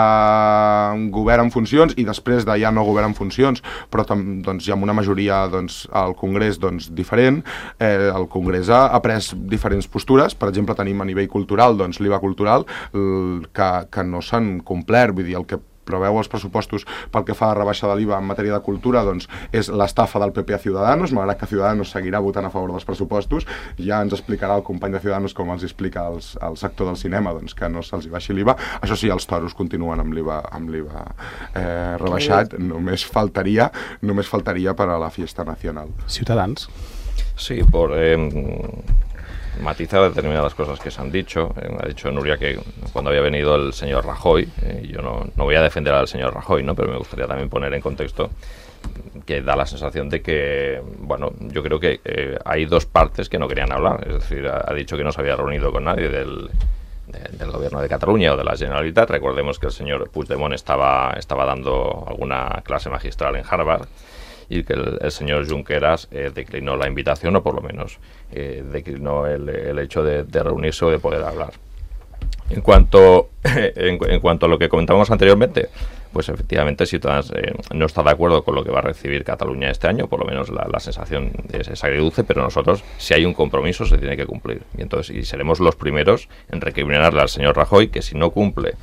govern en funcions i després de ja no govern en funcions, però tam, doncs, hi ha una majoria doncs, al Congrés doncs, diferent. Eh, el Congrés ha, ha pres diferents postures, per exemple tenim a nivell cultural doncs, l'I V A cultural que, que no s'han complert, vull dir, el que preveu els pressupostos pel que fa a rebaixa de l'I V A en matèria de cultura doncs, és l'estafa del P P a Ciudadanos, malgrat que Ciudadanos seguirà votant a favor dels pressupostos. Ja ens explicarà el company de Ciudadanos com els explica als, al sector del cinema doncs, que no se'ls baixi l'I V A. Això sí, els toros continuen amb l'I V A, amb l'I V A eh, rebaixat, només faltaria, només faltaria per a la fiesta nacional. Ciutadans. Sí, por... Eh... matizar determinadas cosas que se han dicho. Eh, ha dicho Nuria que cuando había venido el señor Rajoy, eh, yo no, no voy a defender al señor Rajoy, ¿no? Pero me gustaría también poner en contexto que da la sensación de que, bueno, yo creo que eh, hay dos partes que no querían hablar. Es decir, ha, ha dicho que no se había reunido con nadie del, de, del gobierno de Cataluña o de la Generalitat. Recordemos que el señor Puigdemont estaba, estaba dando alguna clase magistral en Harvard y que el, el señor Junqueras eh, declinó la invitación, o por lo menos eh, declinó el, el hecho de, de reunirse o de poder hablar. En cuanto, en, en cuanto a lo que comentábamos anteriormente, pues efectivamente Ciudadanos eh, no está de acuerdo con lo que va a recibir Cataluña este año, por lo menos la, la sensación es, es agridulce, pero nosotros, si hay un compromiso, se tiene que cumplir. Y entonces y seremos los primeros en recriminarle al señor Rajoy que si no cumple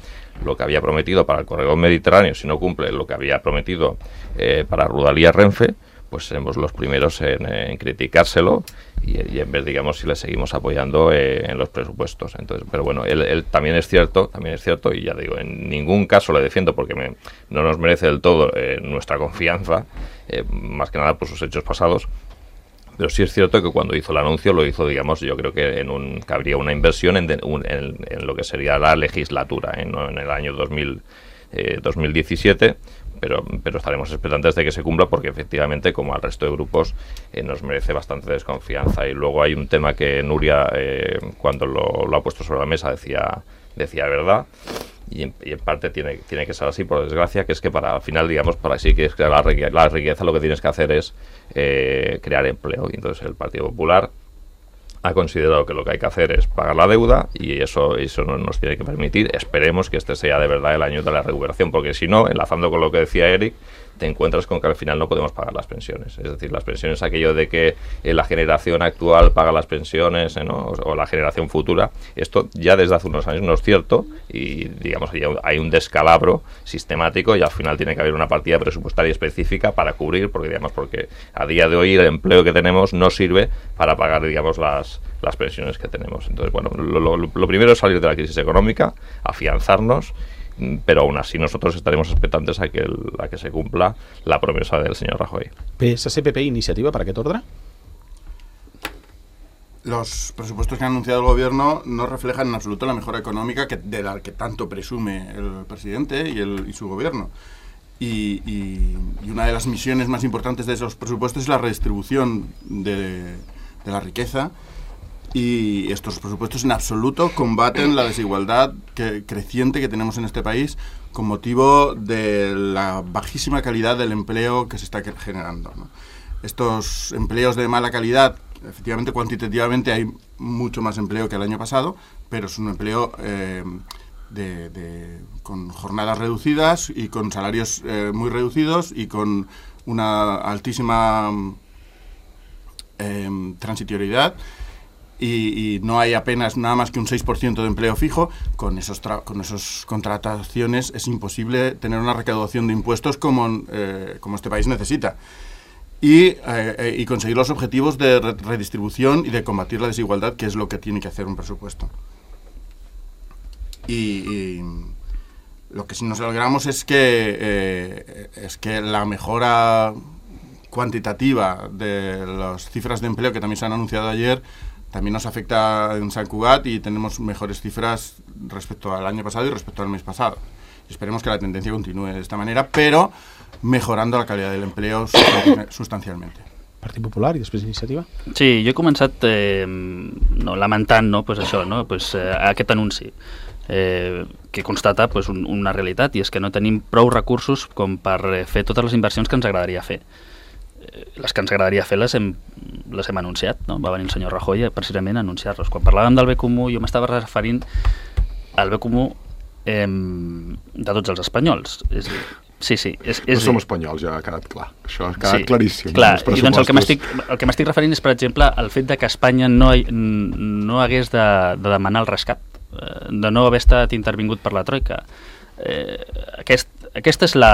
lo que había prometido para el corredor mediterráneo, si no cumple lo que había prometido eh, para Rodalies Renfe, pues seremos los primeros en, en criticárselo y, y en ver, digamos, si le seguimos apoyando eh, en los presupuestos. Entonces, pero bueno, él, él también es cierto, también es cierto, y ya digo, en ningún caso le defiendo porque me, no nos merece del todo eh, nuestra confianza, eh, más que nada por sus hechos pasados. Pero sí es cierto que cuando hizo el anuncio lo hizo, digamos, yo creo que en un que habría una inversión en, de, un, en, en lo que sería la legislatura, ¿eh? No en el año dos mil, eh, dos mil diecisiete, pero, pero estaremos expectantes de que se cumpla porque efectivamente, como al resto de grupos, eh, nos merece bastante desconfianza. Y luego hay un tema que Nuria, eh, cuando lo, lo ha puesto sobre la mesa, decía, decía verdad. Y en, y en parte tiene, tiene que ser así, por desgracia, que es que para al final, digamos, para sí que es crear la riqueza, la riqueza, lo que tienes que hacer es eh, crear empleo. Y entonces el Partido Popular ha considerado que lo que hay que hacer es pagar la deuda y eso, eso no nos tiene que permitir. Esperemos que este sea de verdad el año de la recuperación, porque si no, enlazando con lo que decía Eric, te encuentras con que al final no podemos pagar las pensiones. Es decir, las pensiones, aquello de que eh, la generación actual paga las pensiones, eh, ¿no? o, o la generación futura, esto ya desde hace unos años no es cierto y, digamos, hay un descalabro sistemático y al final tiene que haber una partida presupuestaria específica para cubrir, porque, digamos, porque a día de hoy el empleo que tenemos no sirve para pagar, digamos, las, las pensiones que tenemos. Entonces, bueno, lo, lo, lo primero es salir de la crisis económica, afianzarnos, pero aún así nosotros estaremos expectantes a que, el, a que se cumpla la promesa del señor Rajoy. P S C, P P, iniciativa, ¿para qué ordre? Los presupuestos que ha anunciado el gobierno no reflejan en absoluto la mejora económica que, de la que tanto presume el presidente y, el, y su gobierno. Y, y, y una de las misiones más importantes de esos presupuestos es la redistribución de, de la riqueza. Y estos presupuestos en absoluto combaten la desigualdad que, creciente que tenemos en este país con motivo de la bajísima calidad del empleo que se está generando, ¿no? Estos empleos de mala calidad, efectivamente, cuantitativamente hay mucho más empleo que el año pasado, pero es un empleo eh, de, de, con jornadas reducidas y con salarios eh, muy reducidos y con una altísima eh, transitoriedad. Y, y no hay apenas nada más que un seis por ciento de empleo fijo. Con esos tra- con esas contrataciones es imposible tener una recaudación de impuestos como, eh, como este país necesita y, eh, eh, y conseguir los objetivos de re- redistribución y de combatir la desigualdad, que es lo que tiene que hacer un presupuesto. Y, y lo que sí nos alegramos es que, eh, es que la mejora cuantitativa de las cifras de empleo que también se han anunciado ayer también nos afecta en Sant Cugat y tenemos mejores cifras respecto al año pasado y respecto al mes pasado. Esperemos que la tendencia continúe de esta manera, pero mejorando la calidad del empleo sustancialmente. Partit Popular i després Iniciativa? Sí, jo he començat eh, no, lamentant no, pues això, no, pues, eh, aquest anunci eh, que constata pues, un, una realitat, i és que no tenim prou recursos com per eh, fer totes les inversions que ens agradaria fer. les que ens agradaria fer les hem, les hem anunciat, no? Va venir el senyor Rajoy precisament a anunciar-les. Quan parlàvem del bé comú, jo m'estava referint al bé comú eh, de tots els espanyols. És dir, sí, sí. És, és no som espanyols, ja ha quedat clar. Això ha quedat sí, claríssim. Clar, i doncs el que m'estic el que m'estic referint és, per exemple, el fet de que Espanya no, no hagués de, de demanar el rescat, de no haver estat intervingut per la Troika. Eh, aquest, aquesta és la,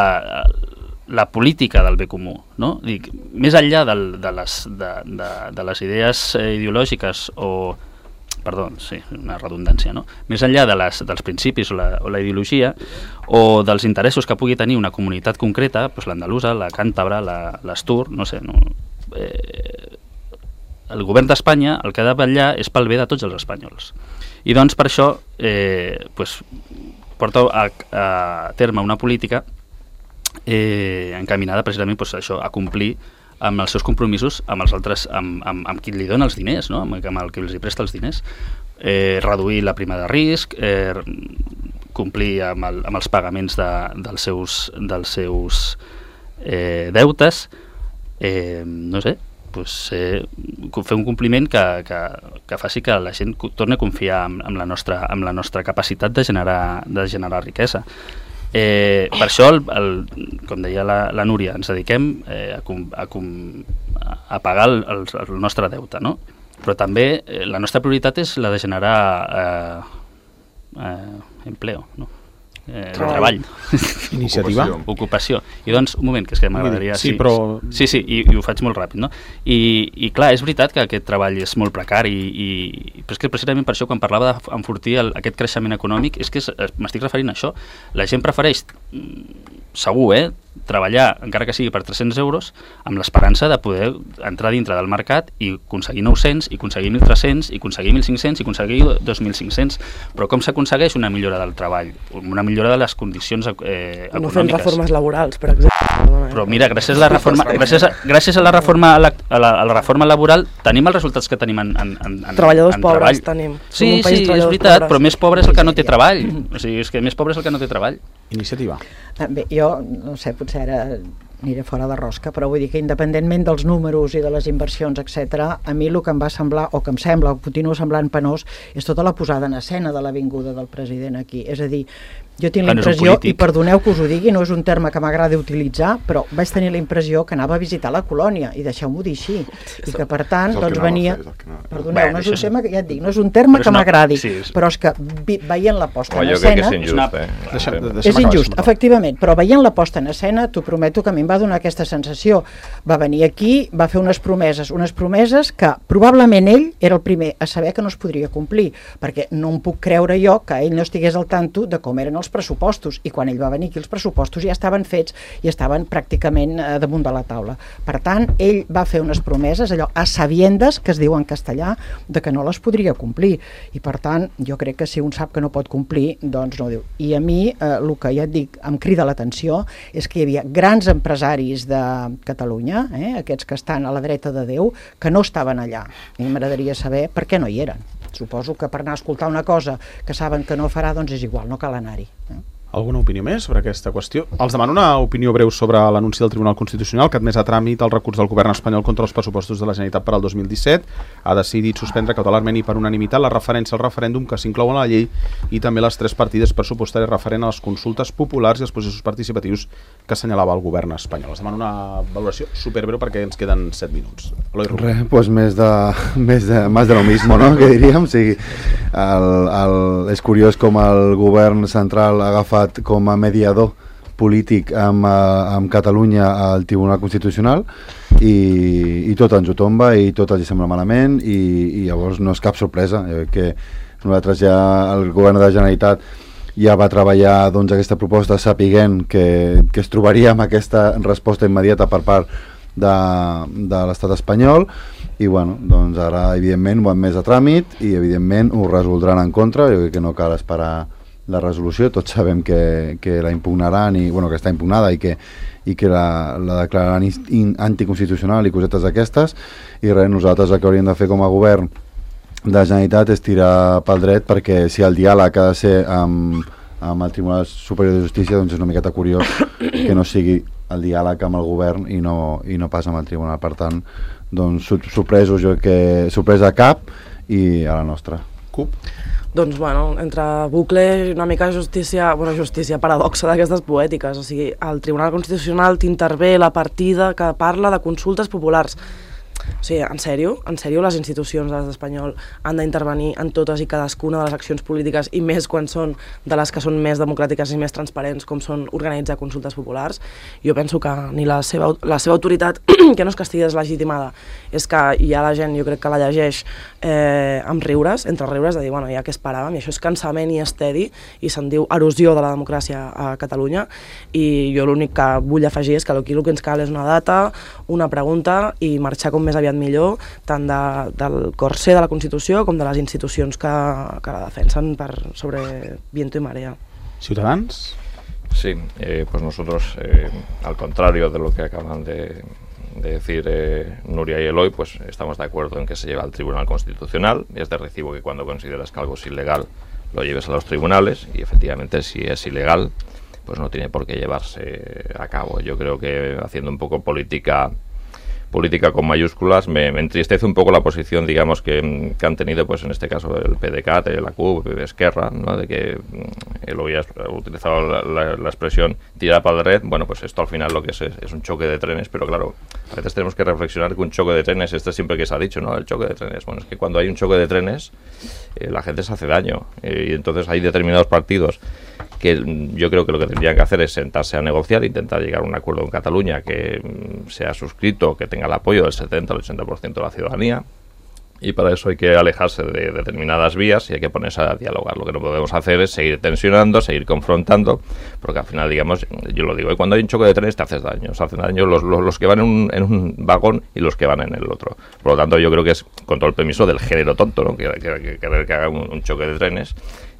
la política del bé comú, no? Dic, més enllà del, de, les, de, de, de les idees ideològiques o perdó, sí, una redundància, no? Més enllà de les, dels principis o la, o la ideologia o dels interessos que pugui tenir una comunitat concreta, doncs l'andalusa, la càntabra, l'Astur, no sé, no? Eh, el govern d'Espanya el que ha de vetllar és pel bé de tots els espanyols. I doncs per això eh, pues, porta a, a terme una política eh, encaminada precisament pues, això, a complir amb els seus compromisos amb els altres, amb, amb, amb qui li dona els diners, no? amb, amb el que els hi presta els diners, eh, reduir la prima de risc, eh, complir amb, el, amb els pagaments de, dels seus, dels seus eh, deutes, eh, no sé, pues, eh, fer un compliment que, que, que faci que la gent torni a confiar en, en, la, nostra, en la nostra capacitat de generar, de generar riquesa. Eh, per això, el, el, com deia la, la Núria, ens dediquem eh, a, com, a, com, a pagar el, el, el nostre deute, no? Però també eh, la nostra prioritat és la de generar eh, eh, empleo, no? Eh, treball. Iniciativa. Ocupació. Ocupació. I doncs, un moment, que és que m'agradaria... Sí, sí, però... Sí, sí, i, i ho faig molt ràpid, no? I, i clar, és veritat que aquest treball és molt precari, i, i, però és que precisament per això, quan parlava d'enfortir el, aquest creixement econòmic, és que m'estic referint a això. La gent prefereix, segur, eh, treballar, encara que sigui per tres-cents euros, amb l'esperança de poder entrar dintre del mercat i aconseguir nou-cents, i aconseguir mil tres-cents, i aconseguir mil cinc-cents, i aconseguir dos mil cinc-cents. Però com s'aconsegueix una millora del treball? Una millora de les condicions eh, econòmiques. No fent reformes laborals, per exemple. Però mira, gràcies a la reforma, gràcies a, gràcies a la reforma, a la, a la, a la reforma laboral, tenim els resultats que tenim en, en, en, en treballadors en pobres treball. Tenim. Sí, sí, és veritat, però més pobre és el que no té treball. O sigui, és que més pobre és el que no té treball. Iniciativa. Bé, jo, no sé, potser ara aniré fora de rosca, però vull dir que independentment dels números i de les inversions, etcètera, a mi el que em va semblar, o que em sembla, o continua semblant penós, és tota la posada en escena de l'avinguda del president aquí. És a dir, jo tinc la impressió, i perdoneu que us ho digui, no és un terme que m'agrada utilitzar, però vaig tenir la impressió que anava a visitar la colònia, i deixeu-m'ho dir així, i que per tant, doncs venia... Perdoneu, no és un tema que, ja et dic, no és un terme que m'agradi, però és que veient la posta en escena... és injust, eh? És injust, efectivament, però veient la posta en escena, t'ho prometo que a mi em va donar aquesta sensació. Va venir aquí, va fer unes promeses, unes promeses que probablement ell era el primer a saber que no es podria complir, perquè no em puc creure jo que ell no estigués al tanto de com eren els pressupostos, i quan ell va venir aquí els pressupostos ja estaven fets i estaven pràcticament eh, damunt de la taula. Per tant, ell va fer unes promeses, allò a sabiendes, que es diu en castellà, de que no les podria complir, i per tant, jo crec que si un sap que no pot complir, doncs no ho diu. I a mi, eh, el que ja et dic, em crida l'atenció, és que hi havia grans empresaris de Catalunya, eh, aquests que estan a la dreta de Déu, que no estaven allà. I m'agradaria saber per què no hi eren. Suposo que per anar a escoltar una cosa que saben que no farà, doncs és igual, no cal anar-hi. Eh? Alguna opinió més sobre aquesta qüestió? Els demano una opinió breu sobre l'anunci del Tribunal Constitucional que ha admès a tràmit el recurs del govern espanyol contra els pressupostos de la Generalitat per al dos mil disset. Ha decidit suspendre cautelarment i per unanimitat la referència al referèndum que s'inclou en la llei i també les tres partides pressupostàries referent a les consultes populars i els processos participatius que assenyalava el govern espanyol. Els demano una valoració superbreu perquè ens queden set minuts. Res, pues més de, més de, més de lo mismo, no?, que diríem. O sigui, el, el, és curiós com el govern central ha agafat com a mediador polític amb, amb Catalunya al Tribunal Constitucional i, i tot ens ho tomba i tot els sembla malament i, i llavors no és cap sorpresa eh, que nosaltres ja, el govern de la Generalitat ja va treballar doncs, aquesta proposta sapiguent que, que es trobaria amb aquesta resposta immediata per part de, de l'estat espanyol i bueno, doncs ara evidentment ho han més a tràmit i evidentment ho resoldran en contra. Jo crec que no cal esperar la resolució, tots sabem que, que la impugnaran i, bueno, que està impugnada i que, i que la, la declararan in, anticonstitucional i cosetes d'aquestes i res, nosaltres el que hauríem de fer com a govern de la Generalitat és tirar pel dret perquè si el diàleg ha de ser amb, amb el Tribunal Superior de Justícia doncs és una miqueta curiós que no sigui el diàleg amb el govern i no, i no pas amb el tribunal. Per tant, doncs, sorpresos jo que sorpresa cap i a la nostra. Cup? Doncs, bueno, entre bucle i una mica justícia, bueno, justícia paradoxa d'aquestes poètiques. O sigui, el Tribunal Constitucional t'intervé la partida que parla de consultes populars. O sigui, en sèrio, en sèrio les institucions de l'estat espanyol han d'intervenir en totes i cadascuna de les accions polítiques i més quan són de les que són més democràtiques i més transparents com són organitzar consultes populars. Jo penso que ni la seva, la seva autoritat, que no és que estigui deslegitimada, és que hi ha la gent, jo crec que la llegeix eh, amb riures, entre riures, de dir, bueno, ja què esperàvem, i això és cansament i estedi, i se'n diu erosió de la democràcia a Catalunya, i jo l'únic que vull afegir és que aquí el que ens cal és una data, una pregunta i marxar com més aviat millor, tant de, del corser de la Constitució com de les institucions que, que la defensen per sobre viento y marea. ¿Ciudadanos? Sí, eh, pues nosotros, eh, al contrario de lo que acaban de, de decir eh, Nuria y Eloy, pues estamos de acuerdo en que se lleve al Tribunal Constitucional. Es de recibo que cuando consideras que algo es ilegal lo lleves a los tribunales, y efectivamente si es ilegal pues no tiene por qué llevarse a cabo. Yo creo que haciendo un poco política política con mayúsculas, me, me entristece un poco la posición, digamos, que, que han tenido, pues en este caso, el P D C A T, la C U P, Esquerra, ¿no? De que él había utilizado la, la, la expresión tirada para la red. Bueno, pues esto al final lo que es, es es un choque de trenes, pero claro, a veces tenemos que reflexionar que un choque de trenes, este siempre que se ha dicho, ¿no? El choque de trenes. Bueno, es que cuando hay un choque de trenes, eh, la gente se hace daño, eh, y entonces hay determinados partidos que yo creo que lo que tendrían que hacer es sentarse a negociar, intentar llegar a un acuerdo en Cataluña que mm, sea suscrito, que tenga el apoyo del setenta al ochenta por ciento de la ciudadanía, y para eso hay que alejarse de determinadas vías y hay que ponerse a dialogar. Lo que no podemos hacer es seguir tensionando, seguir confrontando, porque al final, digamos, yo lo digo, ¿eh? Cuando hay un choque de trenes te haces daño, se hacen daño los, los, los que van en un, en un vagón y los que van en el otro. Por lo tanto, yo creo que es con todo el permiso del género tonto, ¿no? que, que, que, que, que haga un, un choque de trenes.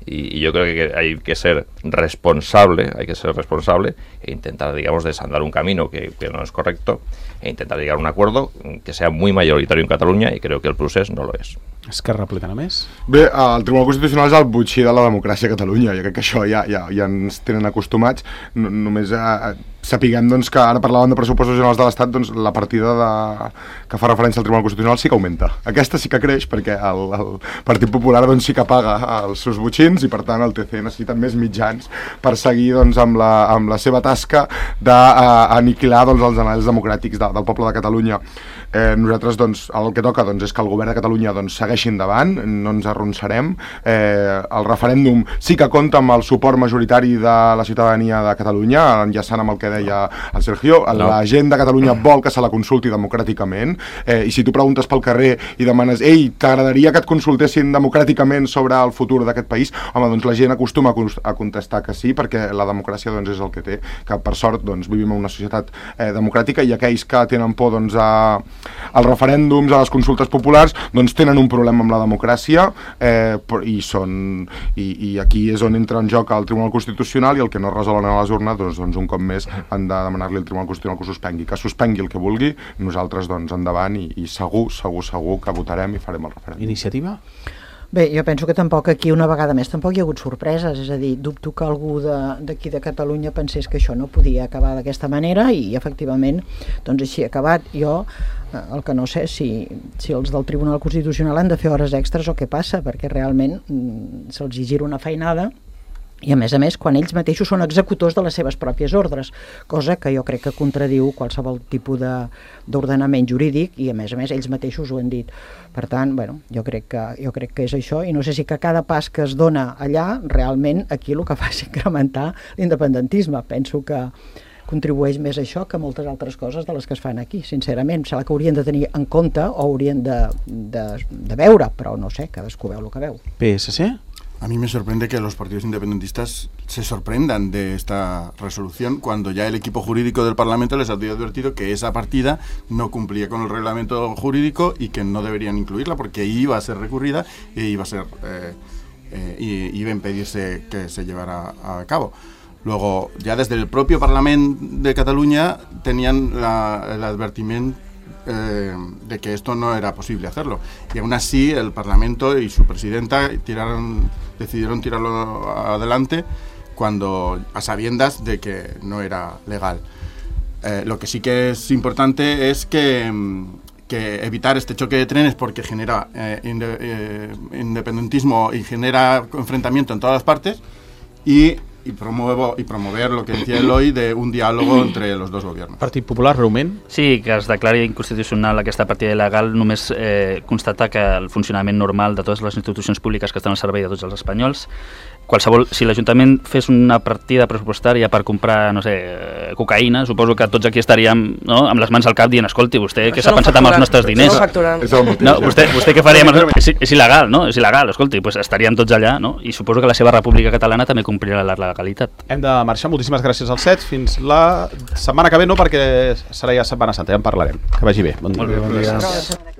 Y, y yo creo que hay que ser responsable, hay que ser responsable e intentar, digamos, desandar un camino que, que no es correcto e intentar llegar a un acuerdo que sea muy mayoritario en Cataluña, y creo que el procés no lo és. Esquerra Republicana més? Bé, el Tribunal Constitucional és el botxí de la democràcia a Catalunya. Jo crec que això ja, ja, ja ens tenen acostumats. No, només eh, sapiguem doncs, que ara parlàvem de pressupostos generals de l'Estat, doncs la partida de, que fa referència al Tribunal Constitucional sí que augmenta. Aquesta sí que creix perquè el, el Partit Popular doncs, sí que paga els seus botxins i per tant el T C necessita més mitjans per seguir doncs, amb, la, amb la seva tasca d'aniquilar doncs, els anells democràtics de, del poble de Catalunya. Eh, nosaltres doncs, el que toca doncs, és que el govern de Catalunya doncs, segueixi endavant, no ens arronsarem. Eh, el referèndum sí que compta amb el suport majoritari de la ciutadania de Catalunya, enllaçant amb el que deia el Sergio. No. La gent de Catalunya vol que se la consulti democràticament, eh, i si tu preguntes pel carrer i demanes ei, t'agradaria que et consultessin democràticament sobre el futur d'aquest país, home, doncs la gent acostuma a contestar que sí, perquè la democràcia doncs, és el que té, que per sort doncs, vivim en una societat eh, democràtica, i aquells que tenen por doncs, a als referèndums, a les consultes populars, doncs tenen un problema amb la democràcia, eh, i, són, i, i aquí és on entra en joc el Tribunal Constitucional, i el que no resolen a les urnes, doncs, doncs un cop més han de demanar-li al Tribunal Constitucional que ho suspengui, que suspengui el que vulgui, nosaltres doncs endavant, i, i segur, segur, segur que votarem i farem el referèndum. Iniciativa? Bé, jo penso que tampoc aquí una vegada més tampoc hi ha hagut sorpreses, és a dir, dubto que algú d'aquí de, de Catalunya pensés que això no podia acabar d'aquesta manera, i efectivament doncs així ha acabat. Jo el que no sé si, si els del Tribunal Constitucional han de fer hores extres o què passa, perquè realment mm, se'ls gira una feinada, i a més a més quan ells mateixos són executors de les seves pròpies ordres, cosa que jo crec que contradiu qualsevol tipus d'ordenament jurídic, i a més a més ells mateixos ho han dit. Per tant, bueno, jo crec que, jo crec que és això, i no sé si que cada pas que es dona allà realment aquí el que fa és incrementar l'independentisme. Penso que contribueix més a això que moltes altres coses de les que es fan aquí, sincerament. Em sembla que haurien de tenir en compte o haurien de, de, de veure, però no sé, cadascú veu el que veu. P S C? A mí me sorprende que los partidos independentistas se sorprendan de esta resolución cuando ya el equipo jurídico del Parlamento les había advertido que esa partida no cumplía con el reglamento jurídico y que no deberían incluirla porque iba a ser recurrida e iba a ser eh, eh, y iba a impedirse que se llevara a cabo. Luego, ya desde el propio Parlamento de Cataluña tenían la, el advertimiento Eh, de que esto no era posible hacerlo, y aún así el Parlamento y su presidenta tiraron, decidieron tirarlo adelante cuando a sabiendas de que no era legal. Eh, lo que sí que es importante es que, que evitar este choque de trenes porque genera eh, inde, eh, independentismo y genera enfrentamiento en todas las partes y, y, promuevo, y promover lo que decía Eloi de un diàlogo entre los dos gobiernos. Partit Popular, breument. Sí, que es declari inconstitucional aquesta partida il·legal només eh, constata que el funcionament normal de totes les institucions públiques que estan al servei de tots els espanyols, qualsevol, si l'Ajuntament fes una partida pressupostària per comprar, no sé, cocaïna, suposo que tots aquí estaríem, no, amb les mans al cap dient, escolti, vostè què s'ha pensat amb els nostres diners? No, vostè, vostè què faria? És, és il·legal, no? És il·legal, escolti, pues estaríem tots allà, no? I suposo que la seva república catalana també complirà la legalitat. Hem de marxar, moltíssimes gràcies als set, fins la setmana que ve, no, perquè serà ja Setmana Santa, ja en parlarem. Que vagi bé, bon dia. Bon dia.